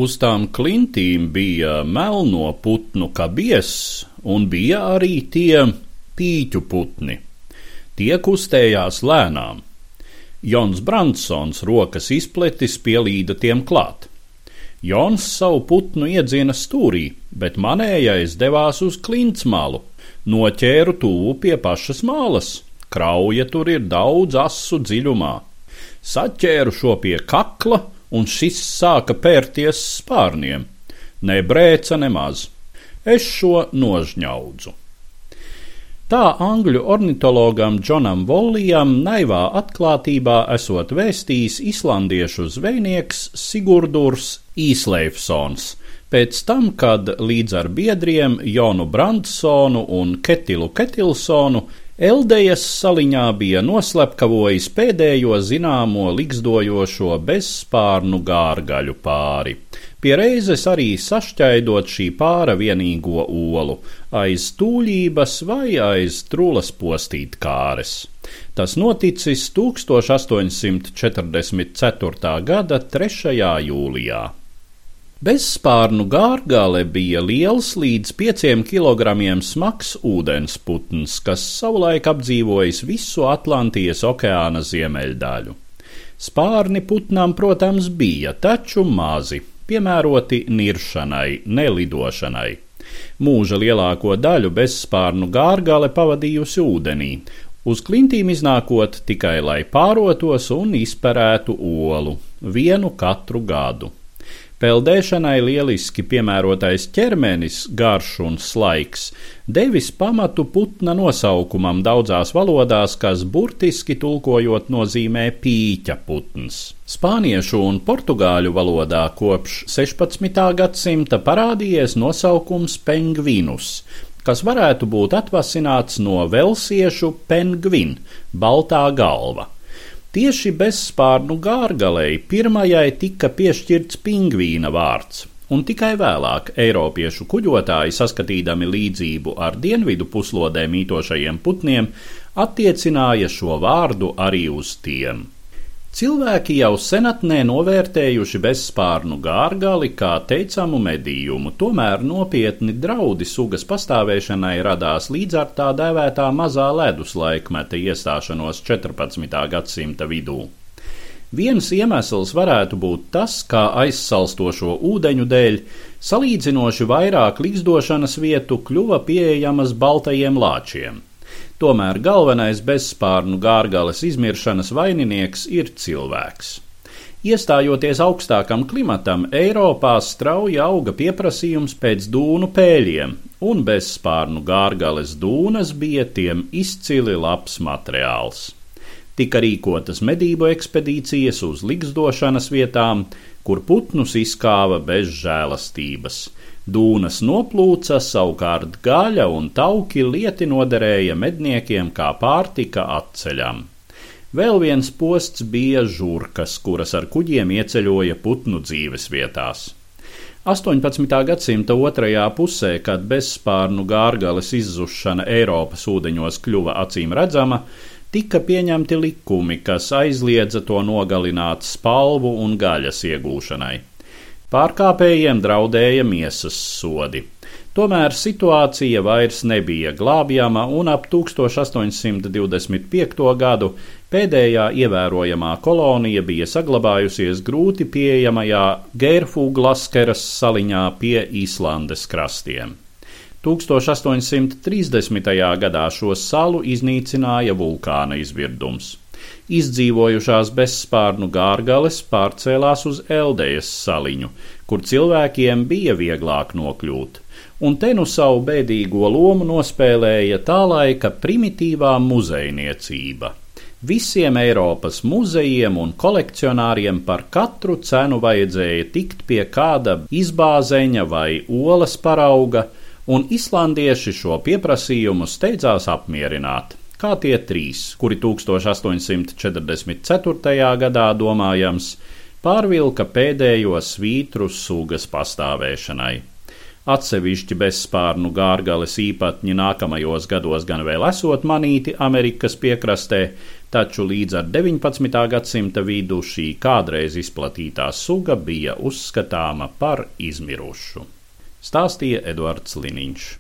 Uz tām klintīm bija melno putnu kabies, un bija arī tie pīķu putni. Tie kustējās lēnām. Jons Brandsons rokas izpletis pielīda tiem klāt. Jons savu putnu iedzina stūrī, bet manējais devās uz klints malu. Noķēru tuvu pie pašas malas. Krauja tur ir daudz asu dziļumā. Saķēru šo pie kakla, un šis sāka pērties spārniem. Nebrēca nemaz. Es šo nožņaudzu. Tā angļu ornitologam Džonam Vollijam naivā atklātībā esot vēstījis islandiešu zvejnieks Sigurdurs Īsleifsons, pēc tam, kad līdz ar biedriem Jonu Brandsonu un Ketilu Ketilsonu Eldejas saliņā bija noslepkavojis pēdējo zināmo ligzdojošo bezspārnu gārgaļu pāri, pie reizes arī sašķaidot šī pāra vienīgo olu, aiz tūļības vai aiz trulas postītkāres. Tas noticis 1844. gada 3. jūlijā. Bezspārnu gārgale bija liels līdz 5 kilogramiem smags ūdensputns, kas savulaik apdzīvojis visu Atlantijas okeāna ziemeļdaļu. Spārni putnām, protams, bija, taču mazi, piemēroti niršanai, nelidošanai. Mūža lielāko daļu bezspārnu gārgale pavadījusi ūdenī, uz klintīm iznākot tikai, lai pārotos un izperētu olu, vienu katru gadu. Peldēšanai lieliski piemērotais ķermenis, garš un slaiks, devis pamatu putna nosaukumam daudzās valodās, kas burtiski tulkojot nozīmē pīķa putns. Spāniešu un portugāļu valodā kopš 16. gadsimta parādījies nosaukums pengvinus, kas varētu būt atvasināts no velsiešu penguin, baltā galva. Tieši bezspārnu gārgalei pirmajai tika piešķirts pingvīna vārds, un tikai vēlāk eiropiešu kuģotāji, saskatīdami līdzību ar dienvidu puslodē mītošajiem putniem, attiecināja šo vārdu arī uz tiem. Cilvēki jau senatnē novērtējuši bezspārnu gārgali kā teicamu medījumu, tomēr nopietni draudi sugas pastāvēšanai radās līdz ar tā dēvētā mazā ledus laikmeta iestāšanos 14. gadsimta vidū. Viens iemesls varētu būt tas, kā aizsalstošo ūdeņu dēļ salīdzinoši vairāk ligzdošanas vietu kļuva pieejamas baltajiem lāčiem. Tomēr galvenais bezspārnu gārgales izmiršanas vaininieks ir cilvēks. Iestājoties augstākam klimatam, Eiropā strauji auga pieprasījums pēc dūnu pēļiem, un bezspārnu gārgales dūnas bija tiem izcili labs materiāls. Tika rīkotas medību ekspedīcijas uz ligzdošanas vietām, kur putnus izkāva bez žēlastības. Dūnas noplūca, savukārt gaļa un tauki lieti noderēja medniekiem kā pārtika atceļam. Vēl viens posts bija žurkas, kuras ar kuģiem ieceļoja putnu dzīves vietās. 18. gadsimta otrajā pusē, kad bezspārnu gārgales izzušana Eiropas ūdeņos kļuva acīm redzama, tika pieņemti likumi, kas aizliedza to nogalināt spalvu un gaļas iegūšanai. Pārkāpējiem draudēja miesas sodi. Tomēr situācija vairs nebija glābjama, un ap 1825. gadu pēdējā ievērojamā kolonija bija saglabājusies grūti pieejamajā Geirfuglaskeras saliņā pie Īslandes krastiem. 1830. gadā šo salu iznīcināja vulkāna izvirdums. Izdzīvojušās bezspārnu gārgales pārcēlās uz Eldejas saliņu, kur cilvēkiem bija vieglāk nokļūt, un te nu savu bēdīgo lomu nospēlēja tā laika primitīvā muzejniecība. Visiem Eiropas muzejiem un kolekcionāriem par katru cenu vajadzēja tikt pie kāda izbāzeņa vai olas parauga, un islandieši šo pieprasījumu steidzās apmierināt. Kā tie 3, kuri 1844. gadā, domājams, pārvilka pēdējo svītru sugas pastāvēšanai. Atsevišķi bezspārnu gārgales īpatņi nākamajos gados gan vēl esot manīti Amerikas piekrastē, taču līdz ar 19. gadsimta vidu šī kādreiz izplatītā suga bija uzskatāma par izmirušu. Stāstīja Eduards Liniņš.